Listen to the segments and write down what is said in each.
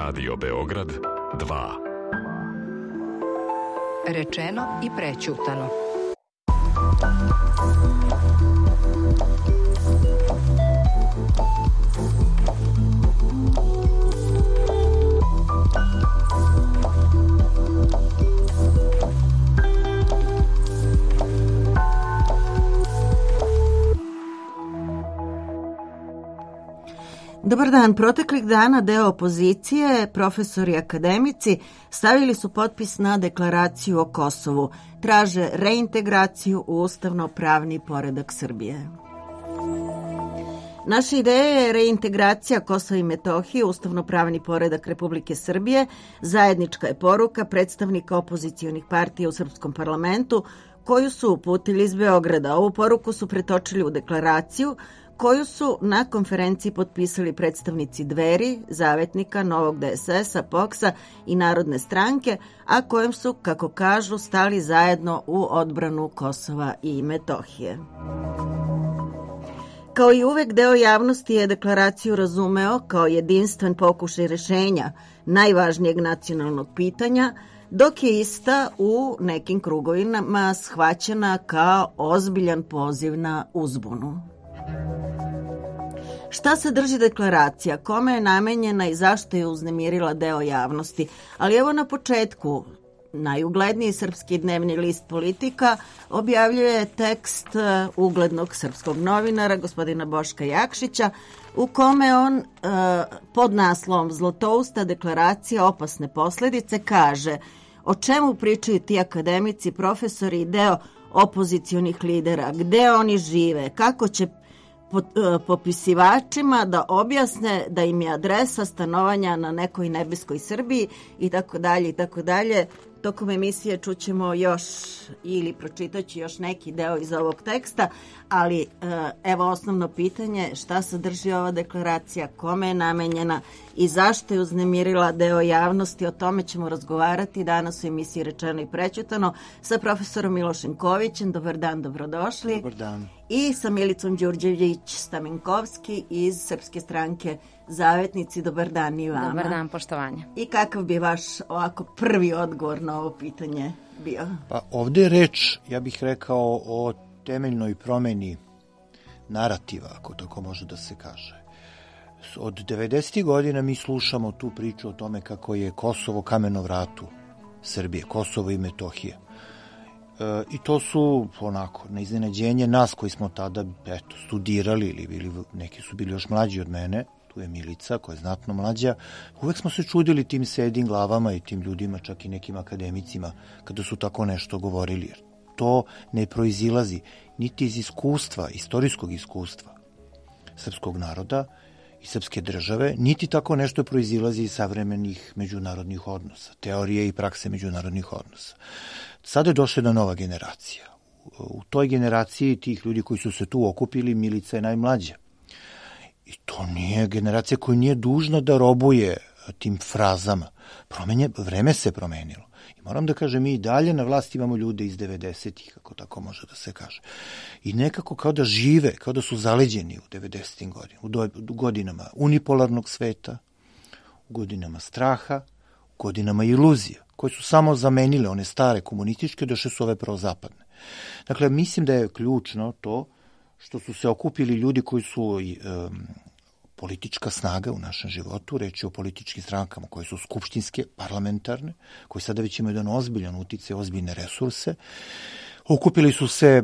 Radio Beograd 2. Rečeno i prećutano. Dobar dan. Proteklih dana deo opozicije, profesori i akademici, stavili su potpis na deklaraciju o Kosovu. Traže reintegraciju u ustavno-pravni poredak Srbije. Naša ideja je reintegracija Kosova i Metohije u ustavno-pravni poredak Republike Srbije. Zajednička je poruka predstavnika opozicionih partija u srpskom parlamentu koju su uputili iz Beograda. Ovu poruku su pretočili u deklaraciju koju su na konferenciji potpisali predstavnici Dveri, Zavetnika, Novog DSS-a, POKS-a i Narodne stranke, a kojom su, kako kažu, stali zajedno u odbranu Kosova i Metohije. Kao i uvek, deo javnosti je deklaraciju razumeo kao jedinstven pokušaj rešenja najvažnijeg nacionalnog pitanja, dok je ista u nekim krugovima shvaćena kao ozbiljan poziv na uzbunu. Šta sadrži deklaracija, kome je namenjena i zašto je uznemirila deo javnosti? Ali evo na početku, najugledniji srpski dnevni list Politika objavljuje tekst uglednog srpskog novinara, gospodina Boška Jakšića, u kome on pod naslovom Zlotousta deklaracija opasne posledice kaže o čemu pričaju ti akademici, profesori i deo opozicionih lidera, gde oni žive, kako će popisivačima da objasne da im je adresa stanovanja na nekoj nebeskoj Srbiji i tako dalje i tako dalje. Tokom emisije čućemo još ili pročitaću još neki deo iz ovog teksta, ali evo osnovno pitanje, šta sadrži ova deklaracija, kome je namenjena i zašto je uznemirila deo javnosti, o tome ćemo razgovarati danas u emisiji Rečeno i prećutano sa profesorom Milošem Kovićem. Dobar dan, dobrodošli. Dobar dan. I sa Milicom Đurđević-Stamenkovski iz Srpske stranke Zavetnici. Dobar dan i vama. Dobar dan, poštovanje. I kakav bi vaš ovako prvi odgovor na ovo pitanje bio? Pa ovdje je reč, ja bih rekao, o temeljnoj promeni narativa, ako tako može da se kaže. Od 90. godina mi slušamo tu priču o tome kako je Kosovo kamen na vratu Srbije, Kosovo i Metohija. I to su onako na iznenađenje nas koji smo tada studirali ili bili, neki su bili još mlađi od mene, tu je Milica koja je znatno mlađa, uvek smo se čudili tim sedim glavama i tim ljudima, čak i nekim akademicima, kada su tako nešto govorili. Jer to ne proizilazi niti iz iskustva, istorijskog iskustva srpskog naroda i srpske države, niti tako nešto proizilazi iz savremenih međunarodnih odnosa, teorije i prakse međunarodnih odnosa. Sada je došla jedna nova generacija. U toj generaciji tih ljudi koji su se tu okupili, Milica je najmlađa. I to nije generacija koja nije dužna da robuje tim frazama. Vreme se promenilo. I moram da kažem, mi i dalje na vlasti imamo ljude iz 90-ih, kako tako može da se kaže. I nekako kao da žive, kao da su zaleđeni u 90-im godinama, u godinama unipolarnog sveta, u godinama straha, u godinama iluzija, koje su samo zamenile one stare komunističke, došle su ove prozapadne. Dakle, mislim da je ključno to što su se okupili ljudi koji su politička snaga u našem životu, reč je o političkim strankama koje su skupštinske, parlamentarne, koji sada već imaju jedan ozbiljan uticaj, ozbiljne resurse. Okupili su se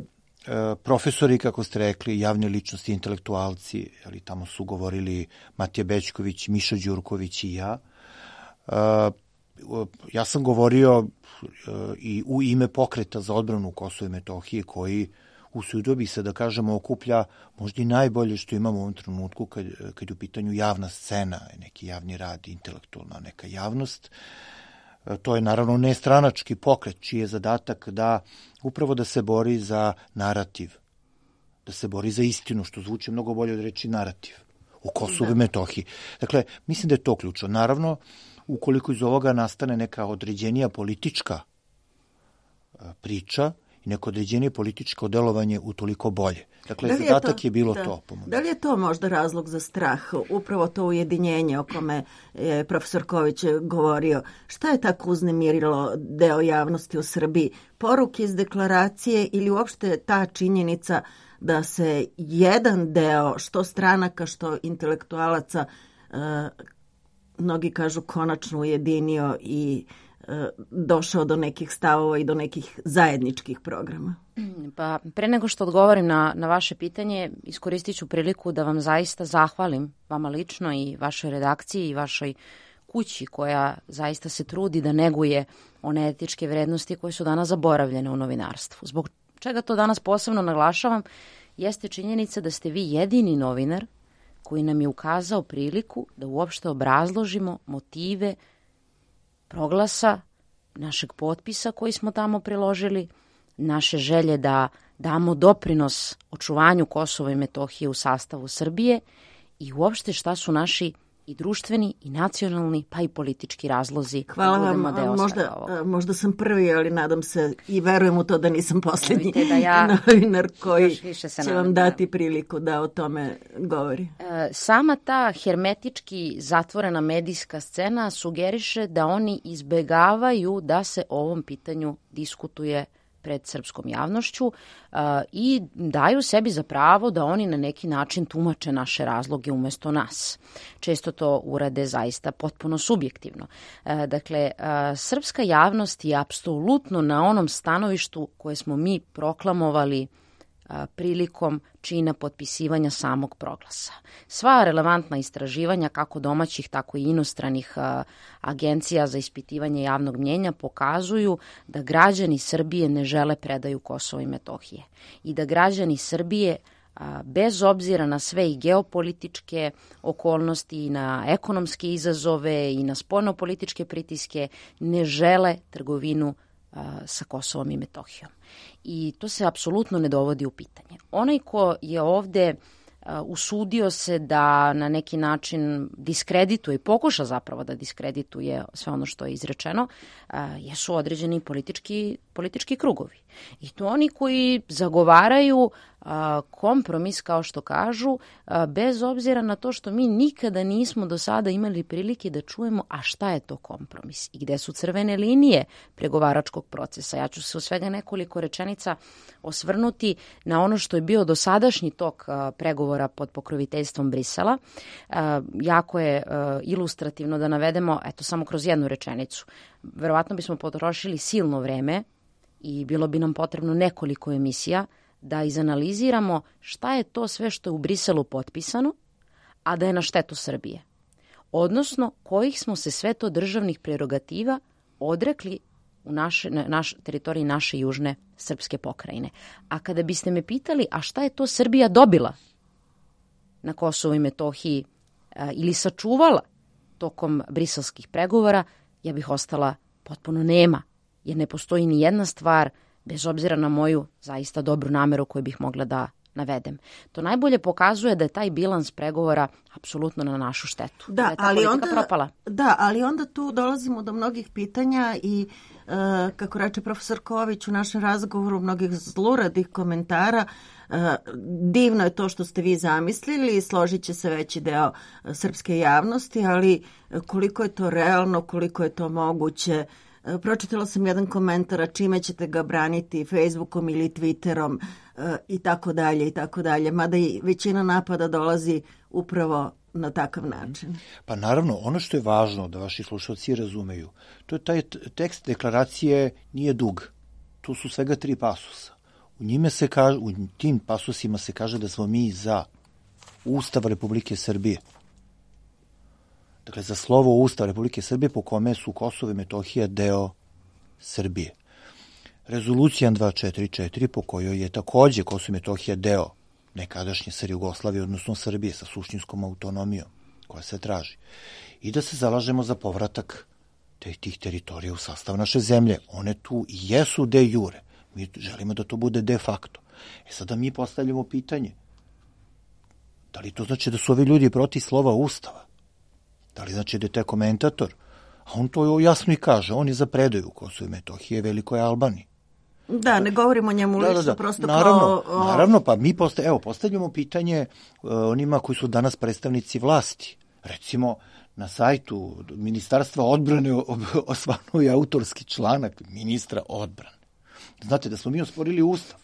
profesori, kako ste rekli, javne ličnosti, intelektualci, ali tamo su govorili Matija Bećković, Miša Đurković i ja. Ja sam govorio i u ime pokreta za odbranu Kosova i Metohije koji usudio bi se da kažemo okuplja možda i najbolje što imamo u ovom trenutku kad je u pitanju javna scena, neki javni rad, intelektualna neka javnost. To je naravno nestranački pokret čiji je zadatak da upravo da se bori za narativ, da se bori za istinu, što zvuči mnogo bolje od reči narativ u Kosovu i Metohiji. Dakle, mislim da je to ključno. Naravno, ukoliko iz ovoga nastane neka određenija politička priča, i neko određenije političko delovanje utoliko bolje. Dakle, zadatak je bilo to. Da li je to možda razlog za strah, upravo to ujedinjenje o kome je profesor Ković govorio? Šta je tako uznemirilo deo javnosti u Srbiji? Poruke iz deklaracije ili uopšte ta činjenica da se jedan deo, što stranaka, što intelektualaca, mnogi kažu konačno ujedinio i došao do nekih stavova i do nekih zajedničkih programa? Pa pre nego što odgovorim na vaše pitanje, iskoristit ću priliku da vam zaista zahvalim, vama lično i vašoj redakciji i vašoj kući koja zaista se trudi da neguje one etičke vrednosti koje su danas zaboravljene u novinarstvu. Zbog čega to danas posebno naglašavam jeste činjenica da ste vi jedini novinar koji nam je ukazao priliku da uopšte obrazložimo motive proglasa, našeg potpisa koji smo tamo priložili, naše želje da damo doprinos očuvanju Kosova i Metohije u sastavu Srbije i uopšte šta su naši i društveni i nacionalni pa i politički razlozi. Hvala vam, možda sam prvi, ali nadam se i verujem u to da nisam posljednji novinar koji će vam dati priliku da o tome govori. Sama ta hermetički zatvorena medijska scena sugeriše da oni izbegavaju da se o ovom pitanju diskutuje pred srpskom javnošću i daju sebi za pravo da oni na neki način tumače naše razloge umesto nas. Često to urade zaista potpuno subjektivno. Dakle, srpska javnost je apsolutno na onom stanovištu koje smo mi proklamovali prilikom čina potpisivanja samog proglasa. Sva relevantna istraživanja, kako domaćih, tako i inostranih agencija za ispitivanje javnog mnjenja pokazuju da građani Srbije ne žele predaju Kosova i Metohije i da građani Srbije, bez obzira na sve i geopolitičke okolnosti i na ekonomske izazove i na spoljnopolitičke pritiske, ne žele trgovinu sa Kosovom i Metohijom. I to se apsolutno ne dovodi u pitanje. Onaj ko je ovde usudio se da na neki način diskredituje i pokuša zapravo da diskredituje sve ono što je izrečeno, jesu određeni politički krugovi. I to oni koji zagovaraju kompromis, kao što kažu, bez obzira na to što mi nikada nismo do sada imali prilike da čujemo a šta je to kompromis i gde su crvene linije pregovaračkog procesa. Ja ću se u svega nekoliko rečenica osvrnuti na ono što je bio dosadašnji tok pregovora pod pokroviteljstvom Brisela. Jako je ilustrativno da navedemo, eto samo kroz jednu rečenicu. Verovatno bismo potrošili silno vreme i bilo bi nam potrebno nekoliko emisija da izanaliziramo šta je to sve što je u Briselu potpisano, a da je na štetu Srbije. Odnosno, kojih smo se sve to državnih prerogativa odrekli na teritoriji naše južne srpske pokrajine. A kada biste me pitali, a šta je to Srbija dobila na Kosovu i Metohiji ili sačuvala tokom briselskih pregovora, ja bih ostala potpuno nema, jer ne postoji ni jedna stvar, bez obzira na moju zaista dobru nameru koju bih mogla da navedem. To najbolje pokazuje da je taj bilans pregovora apsolutno na našu štetu. Da je ta politika propala. Da, ali onda tu dolazimo do mnogih pitanja i kako reče profesor Ković u našem razgovoru, mnogih zluradih komentara. Divno je to što ste vi zamislili i složit će se veći deo srpske javnosti, ali koliko je to realno, koliko je to moguće. Pročitala sam jedan komentar, a čime ćete ga braniti, Facebookom ili Twitterom i tako dalje i tako dalje, mada i većina napada dolazi upravo na takav način. Pa naravno, ono što je važno da vaši slušalci razumeju, to je taj tekst deklaracije nije dug. Tu su svega 3 pasusa. U tim pasusima se kaže da smo mi za Ustav Republike Srbije. Dakle, za slovo Ustava Republike Srbije po kome su Kosovo i Metohija deo Srbije. Rezolucija 244 po kojoj je takođe Kosovo i Metohija deo nekadašnje Jugoslavije, odnosno Srbije sa suštinskom autonomijom koja se traži. I da se zalažemo za povratak tih teritorija u sastav naše zemlje. One tu i jesu de jure. Mi želimo da to bude de facto. Sada mi postavljamo pitanje. Da li to znači da su ovi ljudi protiv slova Ustava? Da li znači da je taj komentator? A on to jasno i kaže. On je za predaju Kosova i Metohije Velikoj Albaniji. Da, ne govorimo o njemu lično, prosto Naravno, pa mi postavljamo pitanje onima koji su danas predstavnici vlasti. Recimo, na sajtu Ministarstva odbrane osvanuo je autorski članak ministra odbrane. Znate da smo mi osporili Ustav.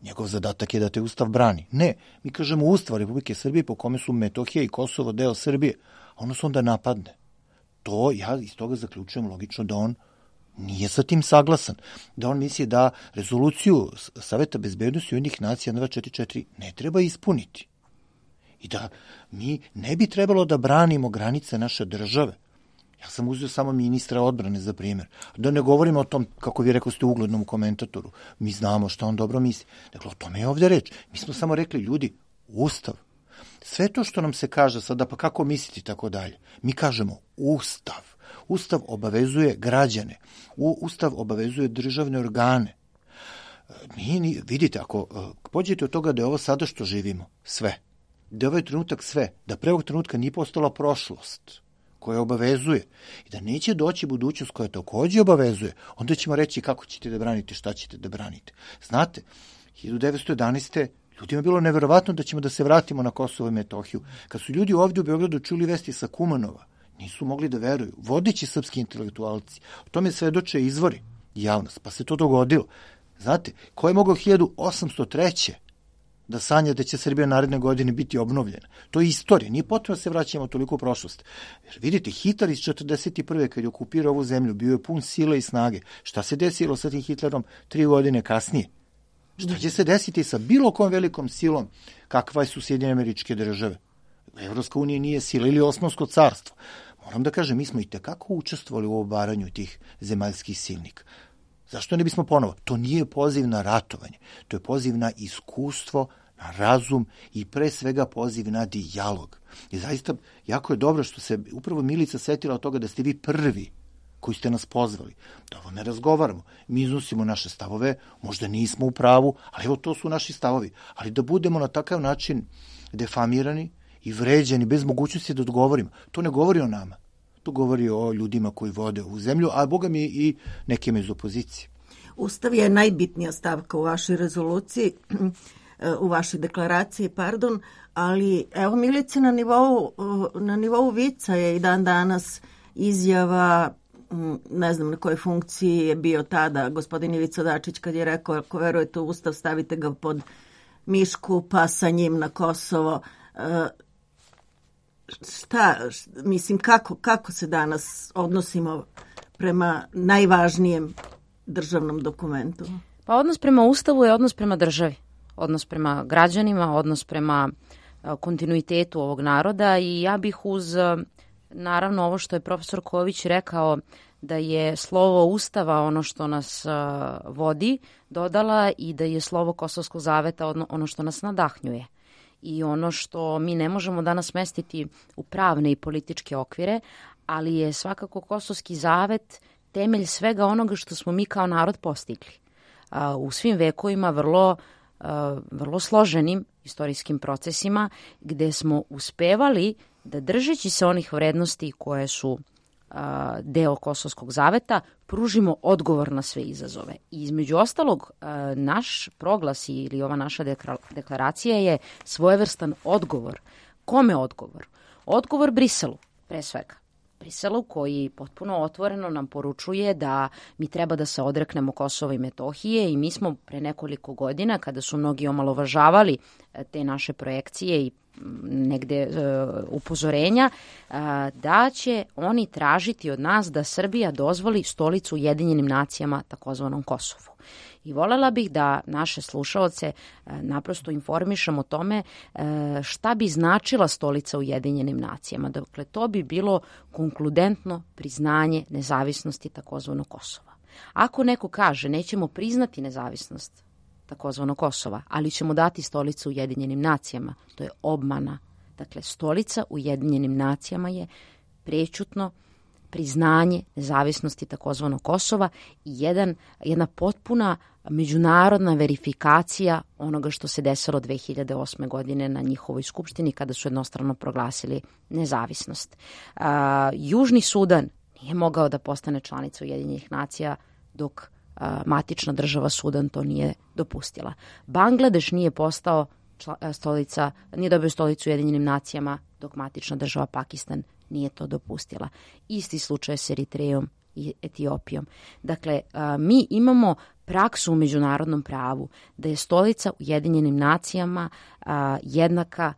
Njegov zadatak je da te Ustav brani. Ne, mi kažemo Ustav Republike Srbije po kome su Metohija i Kosovo deo Srbije, a ono se onda napadne. To ja iz toga zaključujem logično da on nije sa tim saglasan. Da on misli da rezoluciju Saveta bezbednosti Ujedinjenih nacija 1244 ne treba ispuniti. I da mi ne bi trebalo da branimo granice naše države. Ja sam uzeo samo ministra odbrane za primjer. Da ne govorimo o tom, kako vi rekao ste, uglednom komentatoru. Mi znamo šta on dobro misli. Dakle, o tome je ovdje reč. Mi smo samo rekli, ljudi, Ustav. Sve to što nam se kaže sada, pa kako misliti, tako dalje. Mi kažemo Ustav. Ustav obavezuje građane. Ustav obavezuje državne organe. Vidite, ako pođete od toga da je ovo sada što živimo, sve. Da je ovaj trenutak sve. Da pre ovog trenutka nije postala prošlost koja obavezuje i da neće doći budućnost koja takođe obavezuje, onda ćemo reći kako ćete da branite, šta ćete da branite. Znate, 1911. ljudima je bilo neverovatno da ćemo da se vratimo na Kosovo i Metohiju. Kad su ljudi ovdje u Beogradu čuli vesti sa Kumanova, nisu mogli da veruju. Vodeći srpski intelektualci, o tome svedoče izvori i javnost, pa se to dogodilo. Znate, ko je mogao 1803. da sanja da će Srbija naredne godine biti obnovljena? To je istorija, nije potrebno da se vraćamo toliko u prošlost. Jer vidite, Hitler iz 1941. kad je okupirao ovu zemlju, bio je pun sile i snage. Šta se desilo sa tim Hitlerom 3 godine kasnije? Šta će se desiti sa bilo kom velikom silom kakva su Sjedinjene Američke Države? Evropska unija nije sila ili Osmansko carstvo. Moram da kažem, mi smo i tekako učestvovali u obaranju tih zemaljskih silnika. Zašto ne bismo ponovo? To nije poziv na ratovanje, to je poziv na iskustvo, na razum i pre svega poziv na dijalog. I zaista jako je dobro što se upravo Milica setila od toga da ste vi prvi koji ste nas pozvali. Da ovo ne razgovaramo. Mi iznosimo naše stavove, možda nismo u pravu, ali evo to su naši stavovi. Ali da budemo na takav način defamirani i vređani bez mogućnosti da odgovorimo. To ne govori o nama. To govori o ljudima koji vode ovu zemlju, a boga mi i nekima iz opozicije. Ustav je najbitnija stavka u vašoj rezoluciji, u vašoj deklaraciji, ali evo Milice na nivou vica je i dan danas izjava, ne znam na kojoj funkciji je bio tada gospodin Ivica Dačić kad je rekao ako verujete u Ustav stavite ga pod mišku pa sa njim na Kosovo. Kako se danas odnosimo prema najvažnijem državnom dokumentu? Pa odnos prema Ustavu je odnos prema državi, odnos prema građanima, odnos prema kontinuitetu ovog naroda i ja bih uz, naravno, ovo što je profesor Ković rekao da je slovo Ustava ono što nas vodi, dodala i da je slovo Kosovskog zaveta ono što nas nadahnjuje. I ono što mi ne možemo danas smestiti u pravne i političke okvire, ali je svakako Kosovski zavet temelj svega onoga što smo mi kao narod postigli. U svim vekovima vrlo složenim istorijskim procesima gde smo uspevali da držeći se onih vrednosti koje su deo Kosovskog zaveta, pružimo odgovor na sve izazove. I između ostalog, naš proglas ili ova naša deklaracija je svojevrstan odgovor. Kome odgovor? Odgovor Briselu, pre svega. Briselu koji potpuno otvoreno nam poručuje da mi treba da se odreknemo Kosova i Metohije i mi smo pre nekoliko godina, kada su mnogi omalovažavali te naše projekcije i negde upozorenja, da će oni tražiti od nas da Srbija dozvoli stolicu Ujedinjenim nacijama, takozvanom Kosovu. I voljela bih da naše slušaoce naprosto informišem o tome šta bi značila stolica Ujedinjenim nacijama. Dakle, to bi bilo konkludentno priznanje nezavisnosti takozvanog Kosova. Ako neko kaže nećemo priznati nezavisnost takozvano Kosova, ali ćemo dati stolicu Ujedinjenim nacijama, to je obmana. Dakle, stolica Ujedinjenim nacijama je prećutno priznanje nezavisnosti takozvanog Kosova i jedna potpuna međunarodna verifikacija onoga što se desilo 2008. godine na njihovoj skupštini kada su jednostrano proglasili nezavisnost. Južni Sudan nije mogao da postane članica Ujedinjenih nacija dok matična država Sudan to nije dopustila. Bangladeš nije postao nije dobio stolicu u Ujedinjenim nacijama dok matična država Pakistan nije to dopustila. Isti slučaj s Eritrejom i Etiopijom. Dakle, mi imamo praksu u međunarodnom pravu da je stolica u Ujedinjenim nacijama jednaka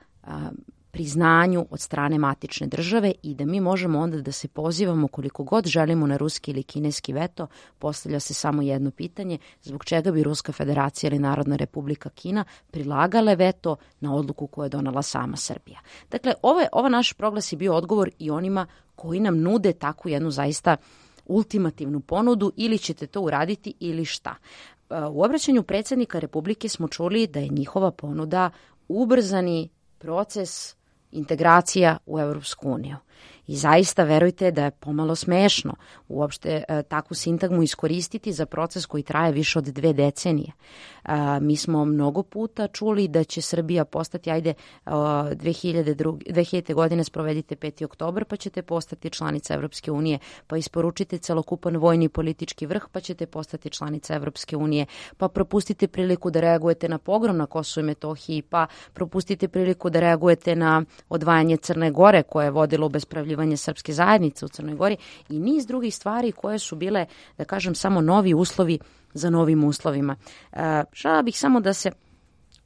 priznanju od strane matične države i da mi možemo onda da se pozivamo koliko god želimo na ruski ili kineski veto. Postavlja se samo jedno pitanje, zbog čega bi Ruska federacija ili Narodna republika Kina prilagale veto na odluku koju je donela sama Srbija. Dakle, ova naš proglas je bio odgovor i onima koji nam nude takvu jednu zaista ultimativnu ponudu, ili ćete to uraditi ili šta. U obraćanju predsjednika Republike smo čuli da je njihova ponuda ubrzani proces integracija u Evropsku uniju. I zaista verujte da je pomalo smešno uopšte takvu sintagmu iskoristiti za proces koji traje više od 2 decenije. Mi smo mnogo puta čuli da će Srbija postati, 2000. godine sprovedite 5. oktobar pa ćete postati članica Evropske unije, pa isporučite celokupan vojni i politički vrh pa ćete postati članica Evropske unije, pa propustite priliku da reagujete na pogrom na Kosovu i Metohiji, pa propustite priliku da reagujete na odvajanje Crne Gore koje je vodilo u bespravljivanje srpske zajednice u Crnoj Gori i niz drugih stvari koje su bile, da kažem, samo novi uslovi za novim uslovima. Želela bih samo da se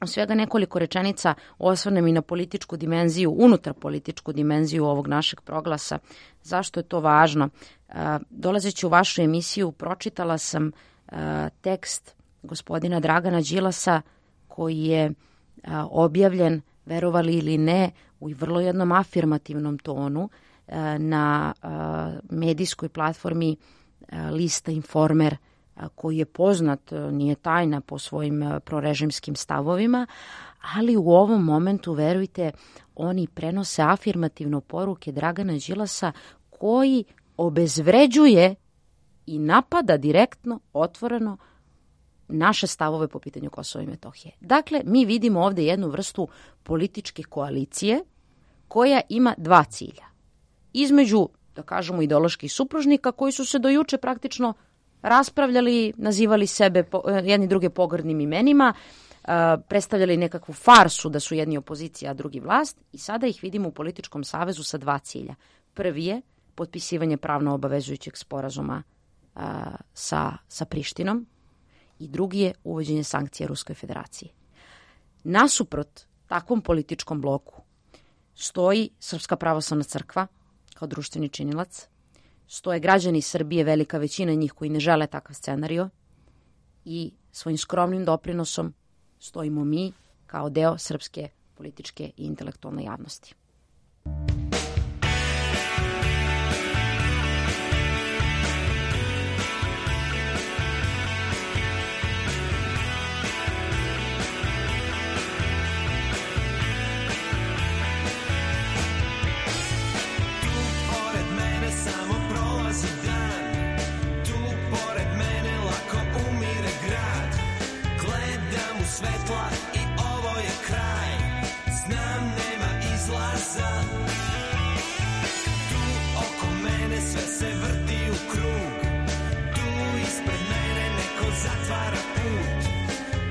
u svega nekoliko rečenica osvrnem i na političku dimenziju, unutar političku dimenziju ovog našeg proglasa. Zašto je to važno? Dolazeći u vašu emisiju pročitala sam tekst gospodina Dragana Đilasa koji je objavljen, verovali ili ne, u vrlo jednom afirmativnom tonu na medijskoj platformi lista Informer, koji je poznat, nije tajna po svojim prorežimskim stavovima, ali u ovom momentu, verujte, oni prenose afirmativno poruke Dragana Đilasa koji obezvređuje i napada direktno, otvoreno naše stavove po pitanju Kosova i Metohije. Dakle, mi vidimo ovdje jednu vrstu političke koalicije koja ima 2 cilja. Između, da kažemo, ideoloških supružnika koji su se do juče praktično raspravljali, nazivali sebe jedni druge pogrdnim imenima, predstavljali nekakvu farsu da su jedni opozicija, a drugi vlast, i sada ih vidimo u političkom savezu sa 2 cilja. Prvi je potpisivanje pravno obavezujućeg sporazuma sa Prištinom i drugi je uvođenje sankcija Ruskoj federaciji. Nasuprot takvom političkom bloku stoji Srpska pravoslavna crkva kao društveni činilac, stoje građani Srbije, velika većina njih koji ne žele takav scenario, i svojim skromnim doprinosom stojimo mi kao deo srpske političke i intelektualne javnosti. Svetla i ovo je kraj, znam nema izlaza. Tu oko mene sve se vrti u krug, tu ispred mene neko zatvara put.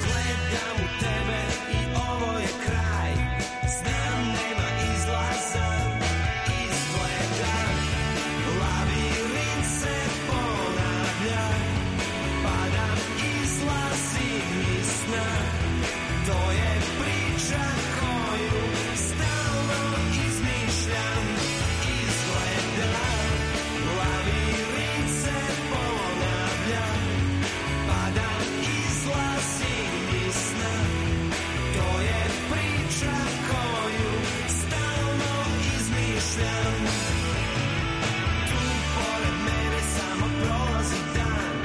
Gledam u tebe i ovo je kraj, znam nema izlaza. Izgleda labirint se ponavlja, padam, izlazim iz sna. To je priča koju stalno izmišljam. Izgleda labirint se ponavlja, padam, izlazim iz sna. To je priča koju stalno izmišljam. Tu pored mene samo prolazi dan,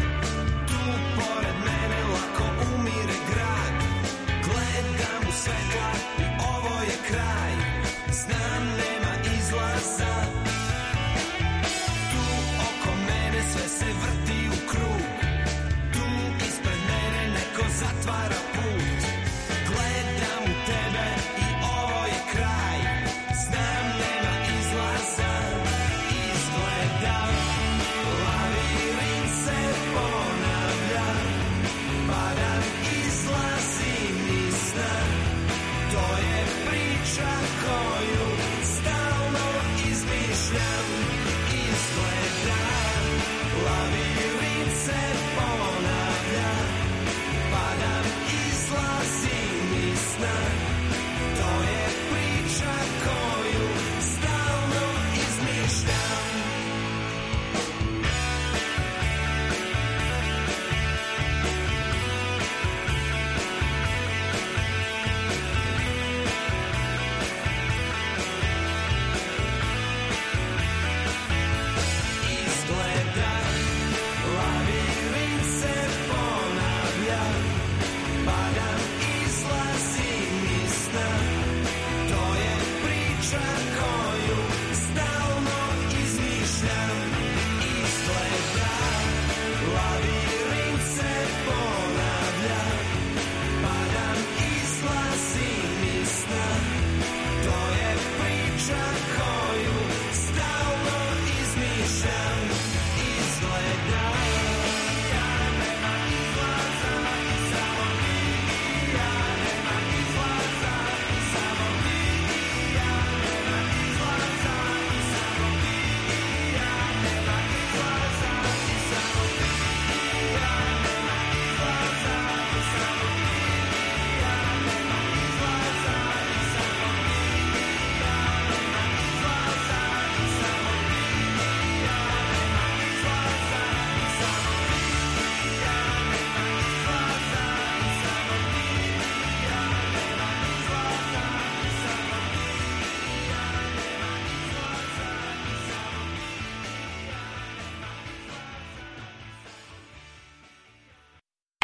tu pored mene lako umire grad. Gledam u svetla i ovo je kraj, znam nema izlaza. Tu oko mene sve se vrti u krug, tu ispred mene neko zatvara put. Gledam u tebe i ovo je kraj, znam nema izlaza. Izgleda labirint se ponavlja,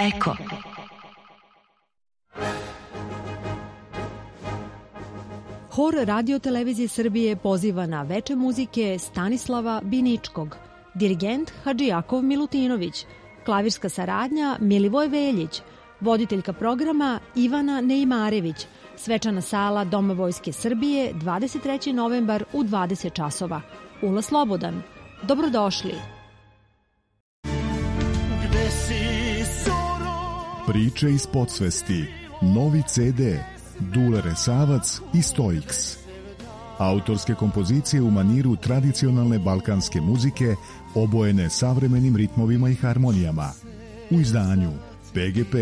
Eko. Hor Radio Televizije Srbije poziva na veče muzike Stanislava Biničkog, dirigent Hadžijakov Milutinović, klavirska saradnja Milivoj Veljić, voditeljka programa Ivana Neimarević, svečana sala Doma Vojske Srbije 23. novembar u 20 časova. Ulaz slobodan. Dobrodošli. Priče iz podsvesti. Novi CD. Dule Resavac i Stoiks. Autorske kompozicije u maniru tradicionalne balkanske muzike obojene savremenim ritmovima i harmonijama. U izdanju PGP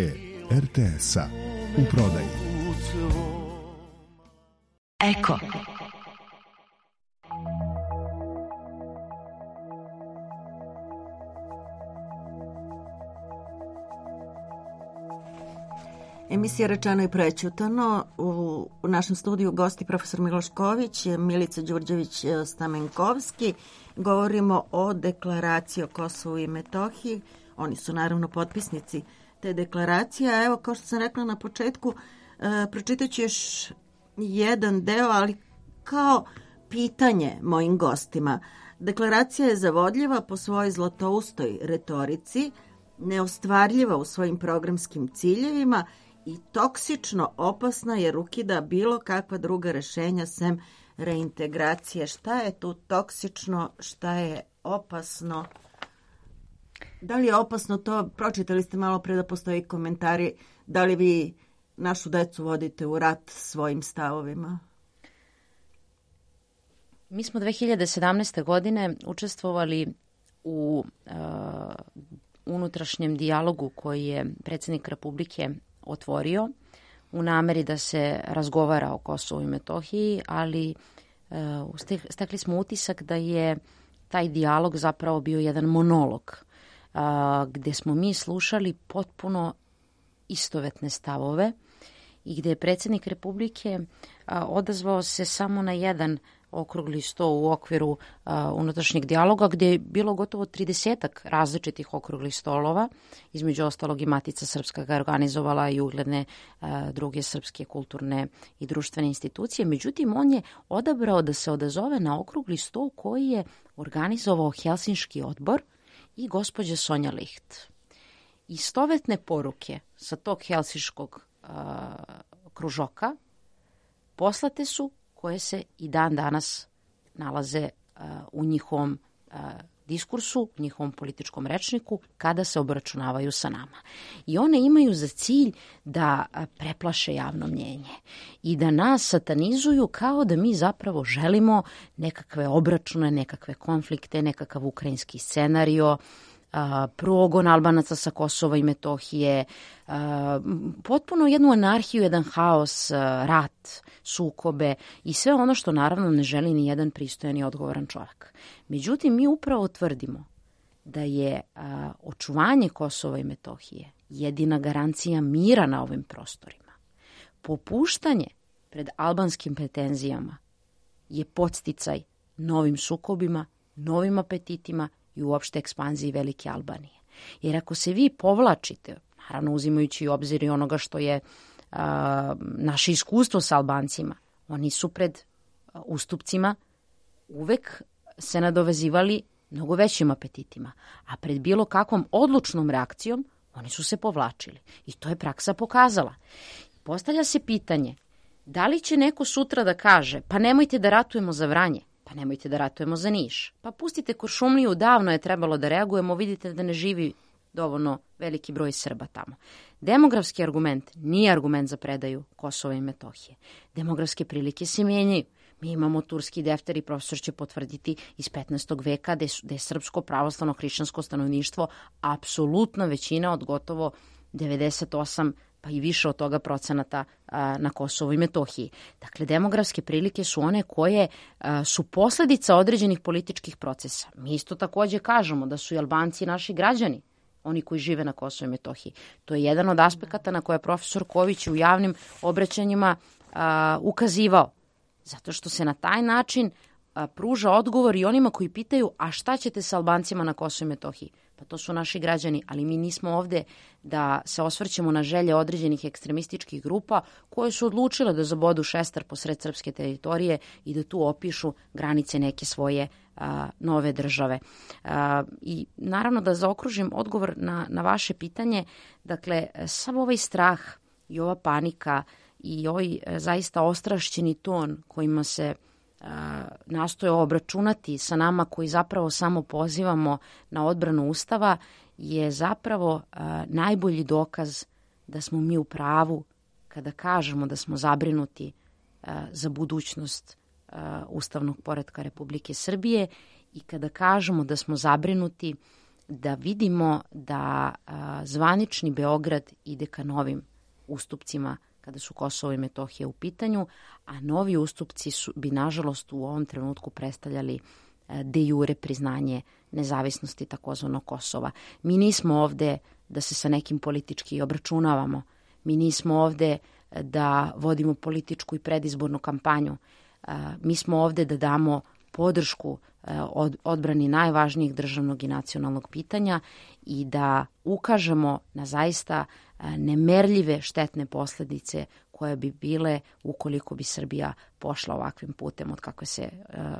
RTS-a. U prodaji. Eko. Emisija Rečeno i prećutano. U našem studiju gosti profesor Miloš Ković, Milica Đurđević-Stamenkovski. Govorimo o deklaraciji o Kosovu i Metohiji. Oni su naravno potpisnici te deklaracije. A evo, kao što sam rekla na početku, pročitat ću još jedan deo, ali kao pitanje mojim gostima. Deklaracija je zavodljiva po svojoj zlatoustoj retorici, neostvarljiva u svojim programskim ciljevima i toksično opasna jer ukida bilo kakva druga rešenja sem reintegracije. Šta je tu toksično, šta je opasno? Da li je opasno to? Pročitali ste malo pre da postoji komentari. Da li vi našu decu vodite u rat svojim stavovima? Mi smo 2017. godine učestvovali u unutrašnjem dijalogu koji je predsjednik Republike otvorio u nameri da se razgovara o Kosovu i Metohiji, ali stekli smo utisak da je taj dijalog zapravo bio jedan monolog gdje smo mi slušali potpuno istovetne stavove i gdje je predsjednik Republike odazvao se samo na jedan okrugli sto u okviru unutrašnjeg dijaloga gdje je bilo gotovo 30-ak različitih okruglih stolova, između ostalog i Matica Srpska ga organizovala i ugledne druge srpske kulturne i društvene institucije. Međutim, on je odabrao da se odazove na okrugli stol koji je organizovao Helsinški odbor i gospođa Sonja Licht. Istovetne poruke sa tog helsinškog kružoka poslate su koje se i dan danas nalaze u njihovom diskursu, u njihovom političkom rečniku kada se obračunavaju sa nama. I one imaju za cilj da preplaše javno mnjenje i da nas satanizuju kao da mi zapravo želimo nekakve obračune, nekakve konflikte, nekakav ukrajinski scenario, progon Albanaca sa Kosova i Metohije, potpuno jednu anarhiju, jedan haos, rat, sukobe i sve ono što naravno ne želi ni jedan pristojan i odgovoran čovjek. Međutim, mi upravo tvrdimo da je očuvanje Kosova i Metohije jedina garancija mira na ovim prostorima. Popuštanje pred albanskim pretenzijama je podsticaj novim sukobima, novim apetitima i uopšte ekspanziji Velike Albanije. Jer ako se vi povlačite, naravno uzimajući u obzir i onoga što je naše iskustvo sa Albancima, oni su pred ustupcima uvek se nadovezivali mnogo većim apetitima, a pred bilo kakvom odlučnom reakcijom oni su se povlačili. I to je praksa pokazala. Postavlja se pitanje, da li će neko sutra da kaže, pa nemojte da ratujemo za Vranje, pa nemojte da ratujemo za Niš. Pa pustite Kuršumliju, davno je trebalo da reagujemo, vidite da ne živi dovoljno veliki broj Srba tamo. Demografski argument nije argument za predaju Kosova i Metohije. Demografske prilike se mijenjaju. Mi imamo turski defter i profesor će potvrditi iz 15. veka gde je srpsko pravoslavno hrišćansko stanovništvo apsolutna većina od gotovo 98 pa i više od toga procenata na Kosovu i Metohiji. Dakle, demografske prilike su one koje su posljedica određenih političkih procesa. Mi isto takođe kažemo da su i Albanci naši građani, oni koji žive na Kosovu i Metohiji. To je jedan od aspekata na koje je profesor Ković u javnim obraćanjima ukazivao. Zato što se na taj način pruža odgovor i onima koji pitaju, a šta ćete sa Albancima na Kosovu i Metohiji? pa to su naši građani, ali mi nismo ovde da se osvrćemo na želje određenih ekstremističkih grupa koje su odlučile da zabodu šestar posred srpske teritorije i da tu opišu granice neke svoje nove države. I naravno da zaokružim odgovor na vaše pitanje, dakle, sav ovaj strah i ova panika i ovaj zaista ostrašćeni ton kojima se nastoje obračunati sa nama koji zapravo samo pozivamo na odbranu Ustava je zapravo najbolji dokaz da smo mi u pravu kada kažemo da smo zabrinuti za budućnost ustavnog poretka Republike Srbije i kada kažemo da smo zabrinuti da vidimo da zvanični Beograd ide ka novim ustupcima kada su Kosovo i Metohija u pitanju, a novi ustupci bi nažalost u ovom trenutku predstavljali de jure priznanje nezavisnosti takozvanog Kosova. Mi nismo ovde da se sa nekim politički obračunavamo. Mi nismo ovde da vodimo političku i predizbornu kampanju. Mi smo ovde da damo podršku odbrani najvažnijih državnog i nacionalnog pitanja i da ukažemo na zaista nemerljive štetne posledice koje bi bile ukoliko bi Srbija pošla ovakvim putem od kako se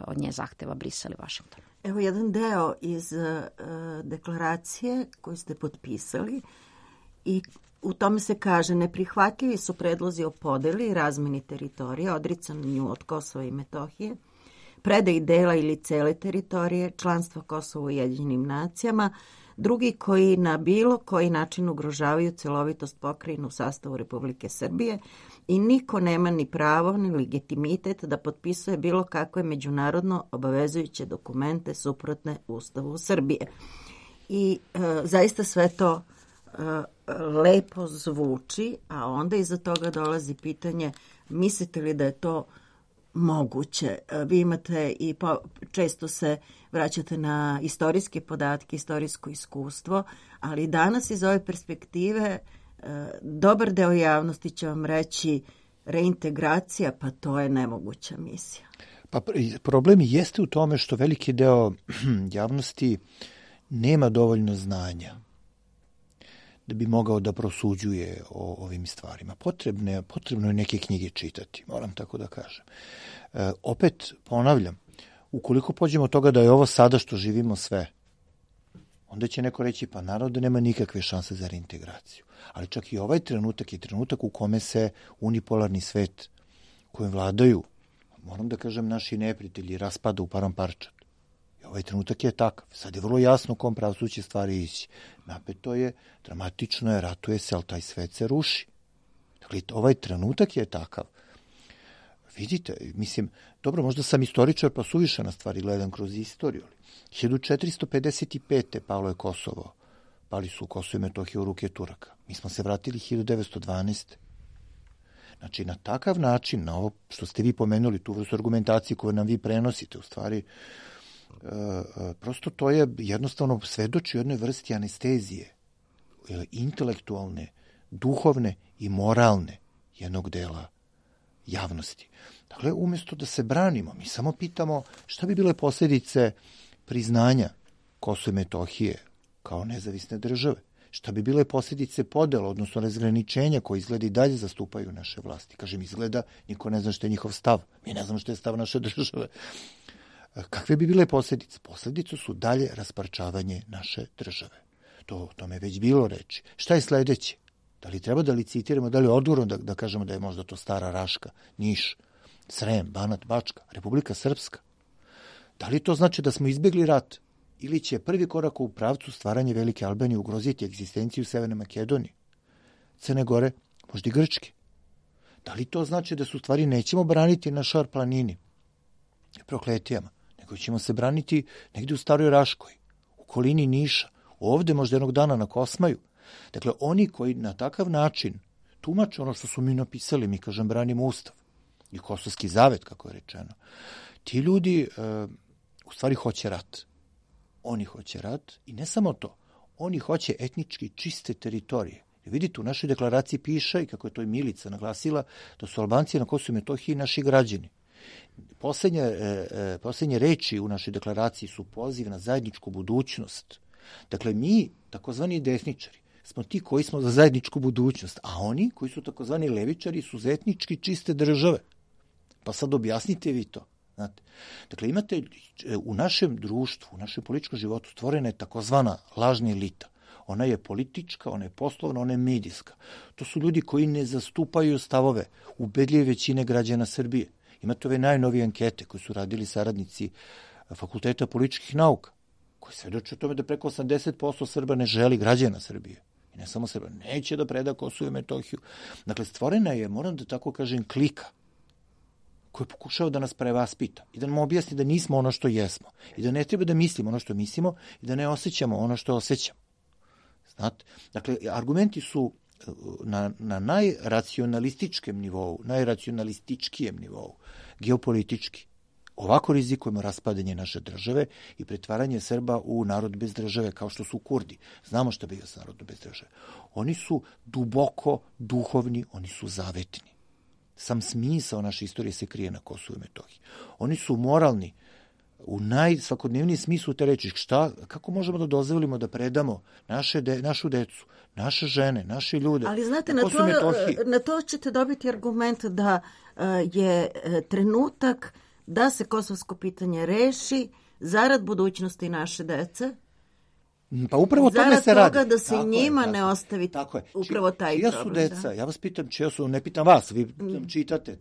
od nje zahteva Brisel i Vašington. Evo jedan deo iz deklaracije koju ste potpisali i u tome se kaže: neprihvatljivi su predlozi o podeli i razmeni teritorija, odricanju od Kosova i Metohije, predaji dela ili cele teritorije, članstva Kosova u Ujedinjenim nacijama, drugi koji na bilo koji način ugrožavaju celovitost pokrajine u sastavu Republike Srbije i niko nema ni pravo ni legitimitet da potpisuje bilo kakve međunarodno obavezujuće dokumente suprotne Ustavu Srbije. I zaista sve to lepo zvuči, a onda iza toga dolazi pitanje: mislite li da je to moguće? Vi imate i često se vraćate na istorijske podatke, istorijsko iskustvo, ali danas iz ove perspektive dobar deo javnosti će vam reći reintegracija, pa to je nemoguća misija. Pa problem jeste u tome što veliki deo javnosti nema dovoljno znanja da bi mogao da prosuđuje o ovim stvarima. Potrebno je neke knjige čitati, moram tako da kažem. Opet ponavljam, ukoliko pođemo od toga da je ovo sada što živimo sve, onda će neko reći: pa naravno da nema nikakve šanse za reintegraciju. Ali čak i ovaj trenutak je trenutak u kome se unipolarni svet kojim vladaju, moram da kažem, naši neprijatelji raspada u param parčad. I ovaj trenutak je takav. Sad je vrlo jasno u kom pravcu će stvari ići. Napeto je, dramatično je, ratuje se, ali taj svet se ruši. Dakle, ovaj trenutak je takav. Vidite, mislim, dobro, možda sam istoričar pa suviše na stvari gledam kroz istoriju. 1455. palo je Kosovo. Pali su Kosovo i Metohija u ruke Turaka. Mi smo se vratili 1912. Znači, na takav način, na ovo što ste vi pomenuli, tu vrstu argumentacije koju nam vi prenosite, u stvari, prosto to je jednostavno svedoči o jednoj vrsti anestezije, intelektualne, duhovne i moralne jednog dela javnosti. Dakle, umjesto da se branimo, mi samo pitamo šta bi bile posljedice priznanja Kosova i Metohije kao nezavisne države. Šta bi bile posljedice podela, odnosno razgraničenja koje izgleda i dalje zastupaju naše vlasti. Kažem, izgleda, niko ne zna što je njihov stav. Mi ne znamo što je stav naše države. Kakve bi bile posljedice? Posljedice su dalje rasparčavanje naše države. O tome je već bilo reči. Šta je sledeće? Da li treba da licitiramo, da li je odgovorno da kažemo da je možda to Stara Raška, Niš, Srem, Banat, Bačka, Republika Srpska? Da li to znači da smo izbjegli rat? Ili će prvi korak u pravcu stvaranja Velike Albanije ugroziti egzistenciju Severne Makedonije, Crne Gore, možda i Grčke? Da li to znači da su stvari nećemo braniti na Šar planini, Prokletijama, nego ćemo se braniti negdje u Staroj Raškoj, u okolini Niša, ovde možda jednog dana na Kosmaju? Dakle, oni koji na takav način tumače ono što su mi napisali, mi kažem branimo Ustav i Kosovski zavet, kako je rečeno, ti ljudi u stvari hoće rat. Oni hoće rat i ne samo to, oni hoće etnički čiste teritorije. Vidite, u našoj deklaraciji piše, i kako je to i Milica naglasila, da su Albanci na Kosovu i Metohiji naši građani. Poslednje reči u našoj deklaraciji su poziv na zajedničku budućnost. Dakle, mi, takozvani desničari, smo ti koji smo za zajedničku budućnost, a oni koji su takozvani levičari su za etnički čiste države. Pa sad objasnite vi to. Znate. Dakle, imate u našem društvu, u našem političkom životu stvorena je takozvana lažna elita. Ona je politička, ona je poslovna, ona je medijska. To su ljudi koji ne zastupaju stavove ubedljive većine građana Srbije. Imate ove najnovije ankete koje su radili saradnici Fakulteta političkih nauka, koji svedoče o tome da preko 80% Srba ne želi, građana Srbije. I ne samo Srba, neće da preda Kosovo i Metohiju. Dakle, stvorena je, moram da tako kažem, klika koji je pokušao da nas prevaspita i da nam objasni da nismo ono što jesmo i da ne treba da mislimo ono što mislimo i da ne osjećamo ono što osjećamo. Znate? Dakle, argumenti su na najracionalističkem nivou, najracionalističkijem nivou, geopolitički. Ovako rizikujemo raspadanje naše države i pretvaranje Srba u narod bez države, kao što su Kurdi. Znamo šta bio sa narodom bez države. Oni su duboko duhovni, oni su zavetni. Sam smisao naše istorije se krije na Kosovu i Metohiji. Oni su moralni u najsvakodnevnijem smislu te reči. Kako možemo da dozvolimo da predamo našu decu, naše žene, naše ljude? Ali znate, na to ćete dobiti argument da je trenutak da se kosovsko pitanje reši zarad budućnosti naše dece. Pa upravo o tome se radi. Zarad toga da se njima ne ostavi upravo taj čija problem. Čija su deca? Ja vas pitam čija su, ne pitam vas, vi čitate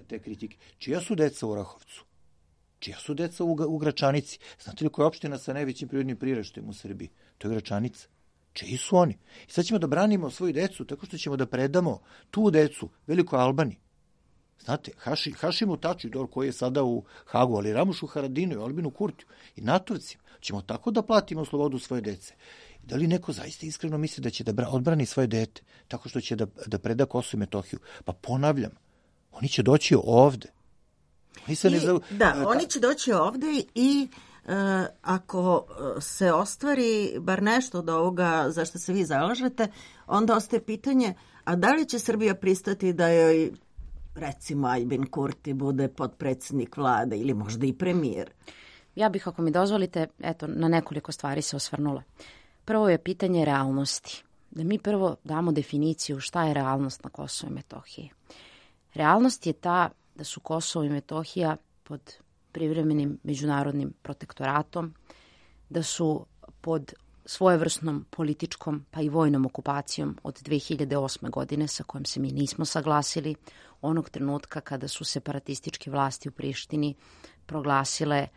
te kritike. Čija su deca u Orahovcu? Čija su deca u Gračanici? Znate li koja je opština sa najvećim prirodnim priraštajem u Srbiji? To je Gračanica. Čiji su oni? I sad ćemo da branimo svoju decu tako što ćemo da predamo tu decu Velikoj Albaniji. Znate, Hašimu Tačiju, koji je sada u Hagu, ali Ramušu Haradinu i Albinu Kurtiju i Natovcima, ćemo tako da platimo slobodu svoje dece. Da li neko zaista iskreno misli da će da odbrani svoje dete tako što će da preda Kosovo i Metohiju? Pa ponavljam, oni će doći ovde. Oni će doći ovde i ako se ostvari bar nešto od ovoga za što se vi zalažete, onda ostaje pitanje, a da li će Srbija pristati da joj, recimo, Aljbin Kurti bude potpredsjednik vlade ili možda i premijer? Ja bih, ako mi dozvolite, na nekoliko stvari se osvrnula. Prvo je pitanje realnosti. Da mi prvo damo definiciju šta je realnost na Kosovo i Metohiji. Realnost je ta da su Kosovo i Metohija pod privremenim međunarodnim protektoratom, da su pod svojevrsnom političkom pa i vojnom okupacijom od 2008. godine sa kojom se mi nismo saglasili, onog trenutka kada su separatističke vlasti u Prištini proglasile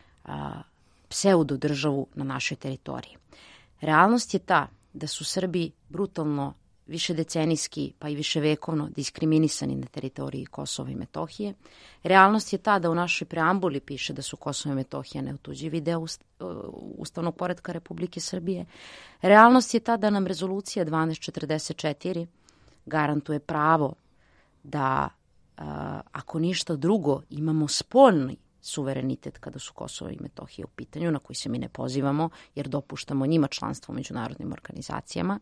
pseudo državu na našoj teritoriji. Realnost je ta da su Srbi brutalno višedecenijski pa i viševekovno diskriminisani na teritoriji Kosova i Metohije. Realnost je ta da u našoj preambuli piše da su Kosovo i Metohija neotuđivi deo ustavnog poretka Republike Srbije. Realnost je ta da nam rezolucija 1244 garantuje pravo da, ako ništa drugo, imamo spoljni suverenitet kada su Kosovo i Metohija u pitanju, na koji se mi ne pozivamo jer dopuštamo njima članstvo u međunarodnim organizacijama.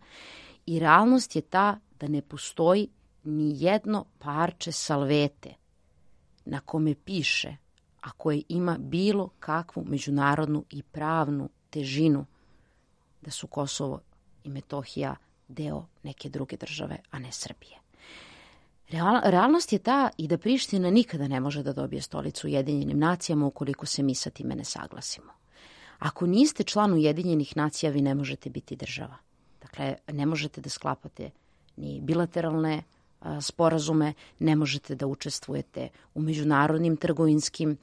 I realnost je ta da ne postoji ni jedno parče salvete na kome piše, a koje ima bilo kakvu međunarodnu i pravnu težinu, da su Kosovo i Metohija deo neke druge države, a ne Srbije. Realnost je ta i da Priština nikada ne može da dobije stolicu u Ujedinjenim nacijama ukoliko se mi sa time ne saglasimo. Ako niste član Ujedinjenih nacija, vi ne možete biti država. Dakle, ne možete da sklapate ni bilateralne sporazume, ne možete da učestvujete u međunarodnim trgovinskim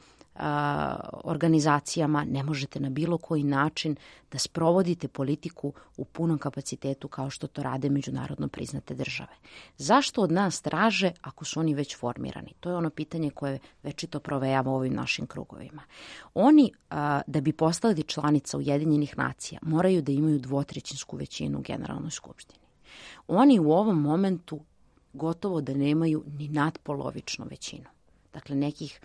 organizacijama, ne možete na bilo koji način da sprovodite politiku u punom kapacitetu kao što to rade međunarodno priznate države. Zašto od nas traže ako su oni već formirani? To je ono pitanje koje večito provejava u ovim našim krugovima. Oni, da bi postali članica Ujedinjenih nacija, moraju da imaju 2/3 većinu u Generalnoj skupštini. Oni u ovom momentu gotovo da nemaju ni nadpolovičnu većinu. Dakle, nekih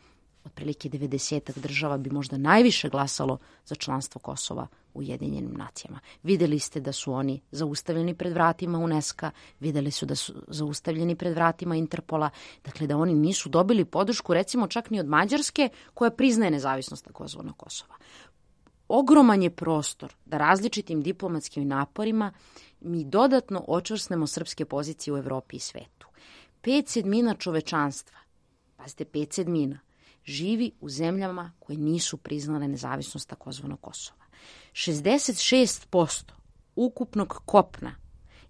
otprilike 90 država bi možda najviše glasalo za članstvo Kosova u Ujedinjenim nacijama. Videli ste da su oni zaustavljeni pred vratima UNESCO, videli su da su zaustavljeni pred vratima Interpola, dakle da oni nisu dobili podršku recimo čak ni od Mađarske koja priznaje nezavisnost takozvanog Kosova. ogroman je prostor da različitim diplomatskim naporima mi dodatno očvrsnemo srpske pozicije u Evropi i svetu. 5/7 čovečanstva, pazite, 5/7, živi u zemljama koje nisu priznale nezavisnost takozvanog Kosova. 66% ukupnog kopna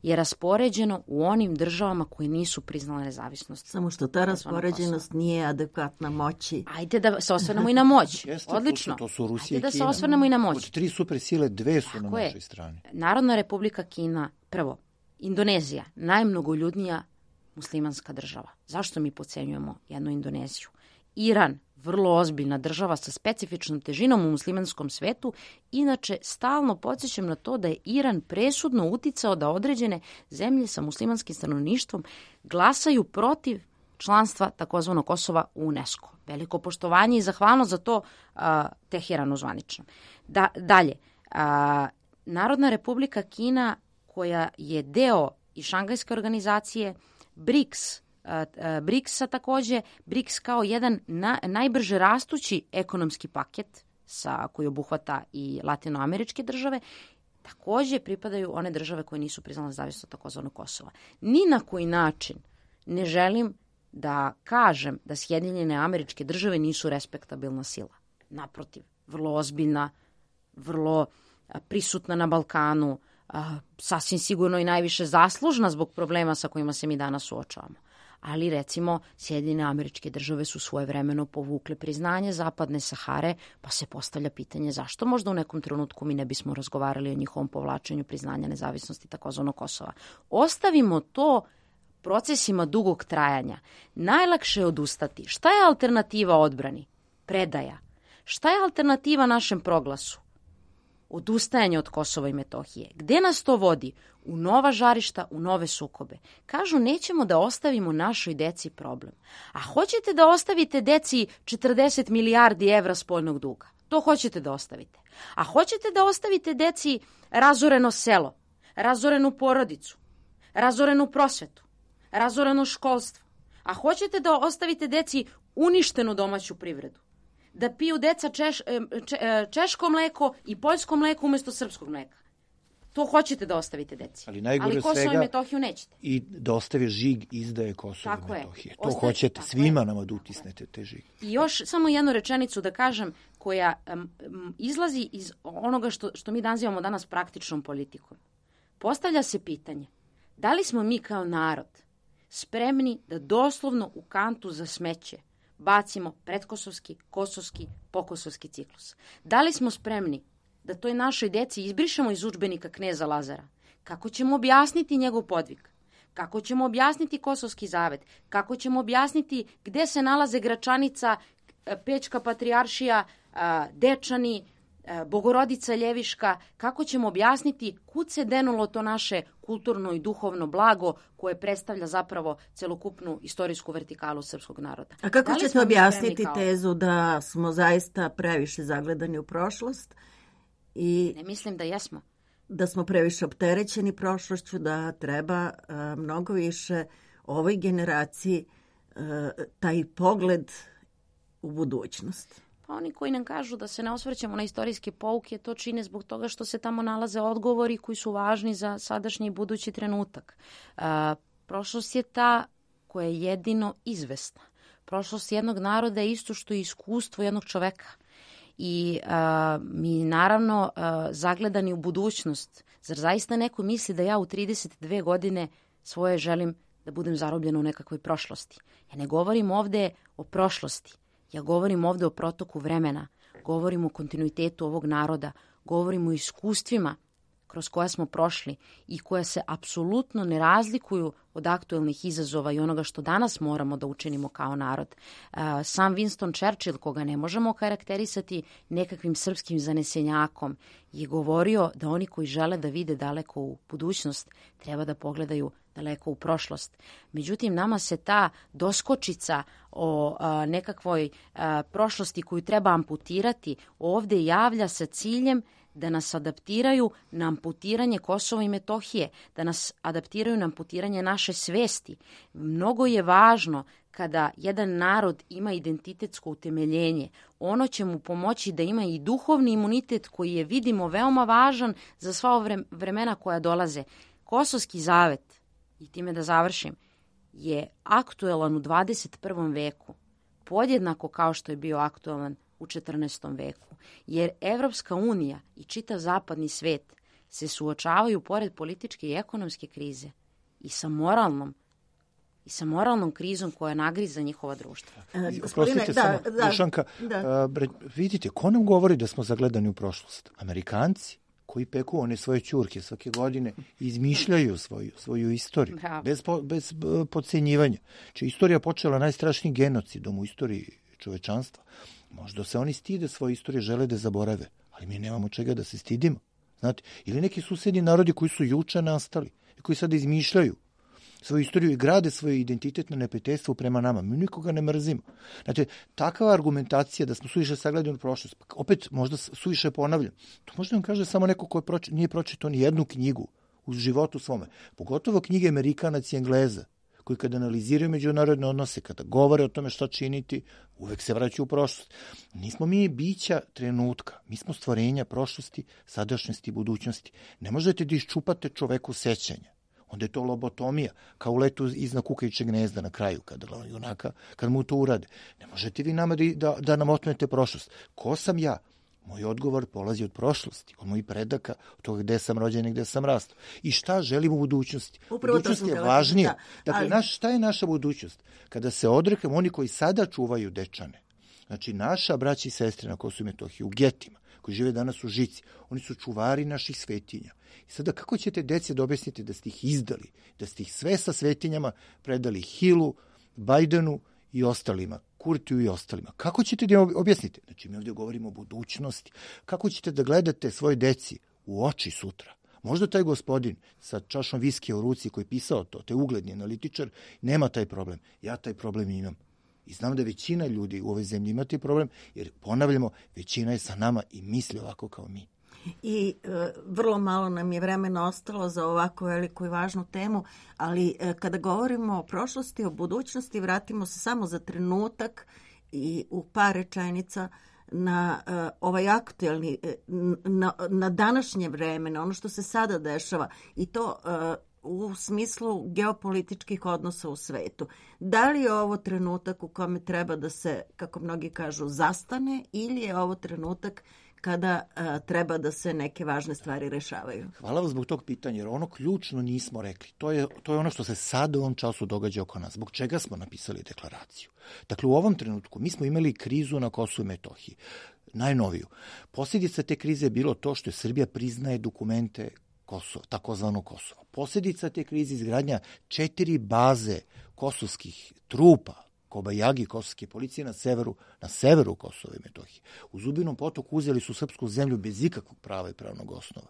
je raspoređeno u onim državama koje nisu priznale nezavisnost. Samo što ta raspoređenost nije adekvatna moći. Ajde da se osvrnemo i na moć. Odlično. To su Rusija i Kina. Ajde da se osvrnemo i na moć. Od 3 supersile, 2 su na Tako je. našoj strani. Narodna republika Kina, prvo, Indonezija, najmnogoljudnija muslimanska država. Zašto mi podcenjujemo jednu Indoneziju? Iran, vrlo ozbiljna država sa specifičnom težinom u muslimanskom svetu. Inače, stalno podsjećam na to da je Iran presudno uticao da određene zemlje sa muslimanskim stanovništvom glasaju protiv članstva takozvanog Kosova u UNESCO. Veliko poštovanje i zahvalnost za to Teheranu zvanično. Dalje, Narodna republika Kina, koja je deo i Šangajske organizacije, BRICS-a takođe, BRICS kao jedan najbrže rastući ekonomski paket koji obuhvata i latinoameričke države, takođe pripadaju one države koje nisu priznale nezavisnost takozvanog Kosova. Ni na koji način ne želim da kažem da Sjedinjene Američke Države nisu respektabilna sila. Naprotiv, vrlo ozbiljna, vrlo prisutna na Balkanu, sasvim sigurno i najviše zaslužna zbog problema sa kojima se mi danas suočavamo. Ali recimo Sjedinjene Američke Države su svojevremeno povukle priznanje Zapadne Sahare, pa se postavlja pitanje zašto možda u nekom trenutku mi ne bismo razgovarali o njihovom povlačenju priznanja nezavisnosti takozvanog Kosova. Ostavimo to procesima dugog trajanja. Najlakše je odustati. Šta je alternativa odbrani? Predaja. Šta je alternativa našem proglasu? Odustajanje od Kosova i Metohije. Gde nas to vodi? U nova žarišta, u nove sukobe. Kažu, nećemo da ostavimo našoj deci problem. A hoćete da ostavite deci 40 milijardi evra spoljnog duga? To hoćete da ostavite. A hoćete da ostavite deci razoreno selo, razorenu porodicu, razorenu prosvetu, razoreno školstvo? A hoćete da ostavite deci uništenu domaću privredu? Da piju deca češko mleko i poljsko mleko umjesto srpskog mleka? To hoćete da ostavite deci. Ali Kosovo i Metohiju nećete. I da ostave žig izdaje Kosova i Metohije. To hoćete svima nama da utisnete te žig. I još samo jednu rečenicu da kažem koja izlazi iz onoga što mi nazivamo danas praktičnom politikom. Postavlja se pitanje, da li smo mi kao narod spremni da doslovno u kantu za smeće bacimo predkosovski, kosovski, pokosovski ciklus? Da li smo spremni da toj našoj deci izbrišemo iz udžbenika kneza Lazara? Kako ćemo objasniti njegov podvig? Kako ćemo objasniti Kosovski zavet? Kako ćemo objasniti gde se nalaze Gračanica, Pećka patrijaršija, Dečani, Bogorodica Ljeviška? Kako ćemo objasniti kud se denulo to naše kulturno i duhovno blago koje predstavlja zapravo celokupnu istorijsku vertikalu srpskog naroda? A kako ćete objasniti tezu da smo zaista previše zagledani u prošlost? I ne mislim da jesmo. Da smo previše opterećeni prošlošću, da treba mnogo više ovoj generaciji taj pogled u budućnost. Pa oni koji nam kažu da se ne osvrćemo na istorijske pouke, to čine zbog toga što se tamo nalaze odgovori koji su važni za sadašnji i budući trenutak. Prošlost je ta koja je jedino izvesna. Prošlost jednog naroda je isto što je iskustvo jednog čoveka. I mi naravno zagledani u budućnost. Zar zaista neko misli da ja u 32 godine svoje želim da budem zarobljena u nekakvoj prošlosti? Ja ne govorim ovde o prošlosti. Ja govorim ovde o protoku vremena. Govorim o kontinuitetu ovog naroda. Govorim o iskustvima kroz koja smo prošli i koja se apsolutno ne razlikuju od aktuelnih izazova i onoga što danas moramo da učinimo kao narod. Sam Winston Churchill, koga ne možemo karakterisati nekakvim srpskim zanesenjakom, je govorio da oni koji žele da vide daleko u budućnost treba da pogledaju daleko u prošlost. Međutim, nama se ta doskočica o nekakvoj prošlosti koju treba amputirati ovde javlja sa ciljem da nas adaptiraju na amputiranje Kosova i Metohije, da nas adaptiraju na amputiranje naše svesti. Mnogo je važno kada jedan narod ima identitetsko utemeljenje, ono će mu pomoći da ima i duhovni imunitet koji je, vidimo, veoma važan za sva vremena koja dolaze. Kosovski zavet, i time da završim, je aktuelan u 21. veku, podjednako kao što je bio aktuelan u 14. veku, jer Evropska unija i čitav zapadni svet se suočavaju pored političke i ekonomske krize i sa moralnom krizom koja nagriza njihova društva. Oprostite samo, Dušanka, vidite, ko nam govori da smo zagledani u prošlost? Amerikanci koji peku one svoje ćurke svake godine i izmišljaju svoju istoriju, bez podcenjivanja. Či istorija počela najstrašnijim genocidom u istoriji čovečanstva. Možda se oni stide svoje istorije, žele da zaborave, ali mi nemamo čega da se stidimo. Znate, ili neki susedni narodi koji su juče nastali i koji sada izmišljaju svoju istoriju i grade svoj identitet na neprijateljstvu prema nama. Mi nikoga ne mrzimo. Znači, takva argumentacija da smo suviše sagledani u prošlost, opet možda suviše ponavljam, to možda vam kaže samo neko ko nije pročitao ni jednu knjigu u životu svome. Pogotovo knjige Amerikanaca i Engleza, koji kada analiziraju međunarodne odnose, kada govore o tome šta činiti, uvek se vraćaju u prošlost. Nismo mi bića trenutka, mi smo stvorenja prošlosti, sadašnjosti i budućnosti. Ne možete da iščupate čoveku sećanja. Onda je to lobotomija, kao u Letu iznad kukajućeg gnezda na kraju, kad mu to urade. Ne možete vi nama da nam otmete prošlost. Ko sam ja? Moj odgovor polazi od prošlosti, od mojih predaka, od toga gde sam rođen i gde sam rastao. I šta želim u budućnosti? Budućnost je važnija. Dakle, šta je naša budućnost? Kada se odrekamo oni koji sada čuvaju Dečane, znači naša braća i sestre na Kosovu i Metohiji, u getima, koji žive danas u Žici, oni su čuvari naših svetinja. I sada kako ćete deci da objasnite da ste ih izdali, da ste ih sve sa svetinjama predali Hillu, Bajdenu i ostalima, Kurtiju i ostalima? Kako ćete da objasnite? Znači, mi ovdje govorimo o budućnosti. Kako ćete da gledate svoje deci u oči sutra? Možda taj gospodin sa čašom viskija u ruci koji je pisao to, taj ugledni analitičar, nema taj problem. Ja taj problem imam. I znam da većina ljudi u ovoj zemlji ima taj problem, jer ponavljamo, većina je sa nama i misli ovako kao mi. I vrlo malo nam je vremena ostalo za ovako veliku i važnu temu, ali kada govorimo o prošlosti, o budućnosti, vratimo se samo za trenutak i u par rečenica na ovaj aktuelni, na današnje vreme, na ono što se sada dešava i to u smislu geopolitičkih odnosa u svetu. Da li je ovo trenutak u kome treba da se, kako mnogi kažu, zastane ili je ovo trenutak kada treba da se neke važne stvari rešavaju? Hvala vam zbog tog pitanja, jer ono ključno nismo rekli. To je ono što se sad u ovom času događa oko nas. Zbog čega smo napisali deklaraciju? Dakle, u ovom trenutku mi smo imali krizu na Kosovu i Metohiji, najnoviju. Posljedica te krize je bilo to što je Srbija priznaje dokumente Kosova, takozvano Kosovo. Posljedica te krize izgradnja 4 baze kosovskih trupa, Kobajagi, kosovske policije na severu Kosova i Metohije. U Zubinom potoku uzeli su srpsku zemlju bez ikakvog prava i pravnog osnova.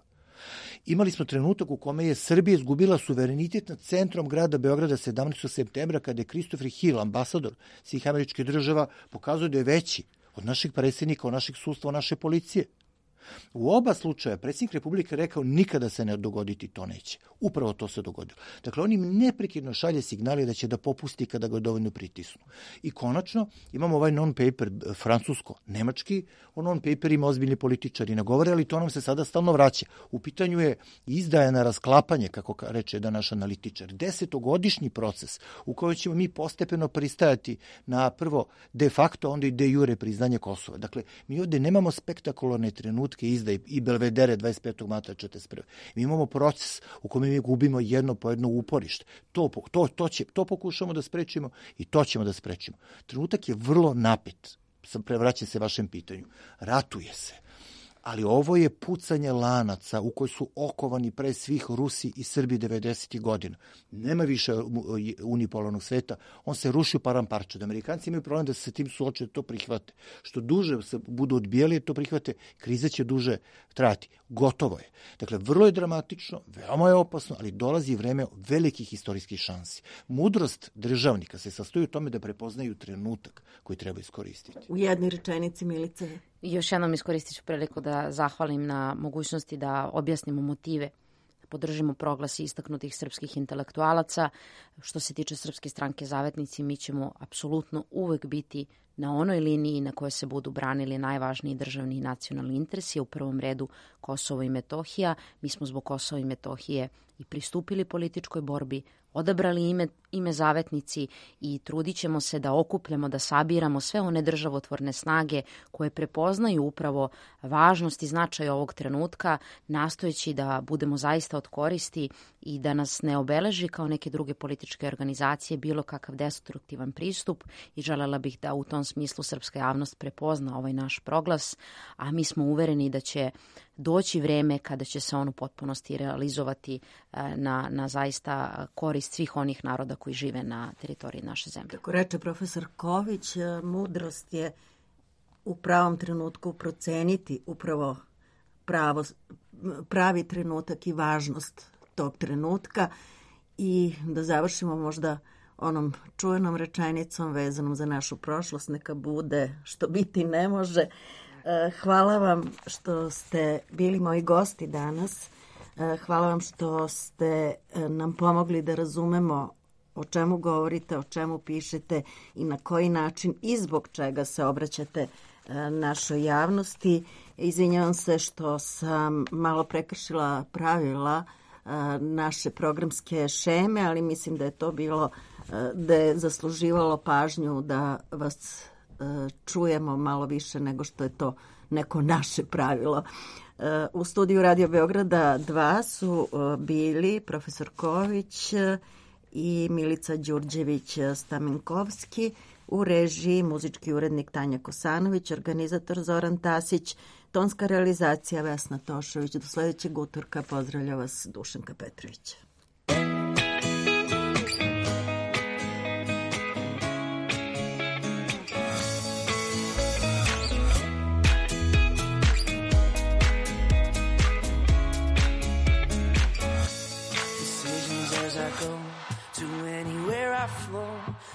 Imali smo trenutak u kome je Srbija izgubila suverenitet nad centrom grada Beograda 17. septembra, kada je Christopher Hill, ambasador svih američkih država, pokazao da je veći od naših predsjednika, od naših sudstva, od naše policije. U oba slučaja predsjednik Republike rekao nikada se ne dogoditi, to neće. Upravo to se dogodilo. Dakle, on im neprekidno šalje signali da će da popusti kada ga dovoljno pritisnu. I konačno imamo ovaj non-paper francusko-nemački, o non-paper ima ozbiljni političari ne govore, ali to nam se sada stalno vraća. U pitanju je izdaja na rasklapanje, kako reče jedan naš analitičar, 10-godišnji proces u kojem ćemo mi postepeno pristajati na prvo de facto, onda i de jure priznanje Kosova. Dakle, mi ovdje nemamo spektakularne trenutke izdaje i belvedere 25. marta 1941. Mi imamo proces u kome mi gubimo jedno po jedno uporište. To pokušamo da sprečimo i to ćemo da sprečimo. Trenutak je vrlo napet. Prevraćam se vašem pitanju. Ratuje se. Ali ovo je pucanje lanaca u kojoj su okovani pre svih Rusi i Srbi 90. godina. Nema više unipolarnog sveta, on se ruši u paramparče. Da Amerikanci imaju problem da se sa tim suoče, to prihvate. Što duže se budu odbijali, to prihvate, kriza će duže trajati. Gotovo je. Dakle, vrlo je dramatično, veoma je opasno, ali dolazi vreme velikih istorijskih šansi. Mudrost državnika se sastoji u tome da prepoznaju trenutak koji treba iskoristiti. U jednoj rečenici, Milice. Još jednom iskoristit ću priliku da zahvalim na mogućnosti da objasnimo motive, podržimo proglas istaknutih srpskih intelektualaca. Što se tiče Srpske stranke Zavetnici, mi ćemo apsolutno uvek biti na onoj liniji na kojoj se budu branili najvažniji državni i nacionalni interesi, u prvom redu Kosovo i Metohija. Mi smo zbog Kosova i Metohije i pristupili političkoj borbi, odabrali ime Zavetnici i trudit ćemo se da okupljamo, da sabiramo sve one državotvorne snage koje prepoznaju upravo važnost i značaj ovog trenutka, nastojeći da budemo zaista od koristi i da nas ne obeleži kao neke druge političke organizacije bilo kakav destruktivan pristup, i želela bih da u tom smislu srpska javnost prepozna ovaj naš proglas, a mi smo uvereni da će doći vreme kada će se on u potpunosti realizovati na zaista korist svih onih naroda koji žive na teritoriji naše zemlje. Kako reče profesor Ković, mudrost je u pravom trenutku proceniti upravo pravi trenutak i važnost tog trenutka, i da završimo možda onom čuvenom rečenicom vezanom za našu prošlost: neka bude što biti ne može. Hvala vam što ste bili moji gosti danas. Hvala vam što ste nam pomogli da razumemo o čemu govorite, o čemu pišete i na koji način i zbog čega se obraćate našoj javnosti. Izvinjavam se što sam malo prekršila pravila naše programske šeme, ali mislim da je to bilo, da je zasluživalo pažnju da vas čujemo malo više nego što je to neko naše pravilo. U studiju Radio Beograda 2 su bili profesor Ković i Milica Đurđević-Stamenkovski, u režiji muzički urednik Tanja Kosanović, organizator Zoran Tasić, tonska realizacija Vesna Tošović. Do sledećeg utorka pozdravlja vas Dušanka Petrović.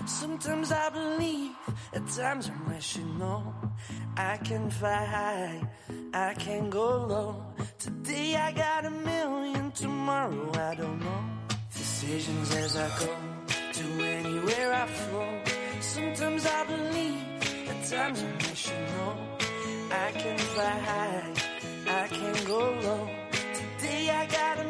Sometimes I believe, at times I'm rational. I can fly high, I can go low. Today I got a million, tomorrow I don't know. Decisions as I go, to anywhere I flow. Sometimes I believe, at times I'm rational. I can fly high, I can go low. Today I got a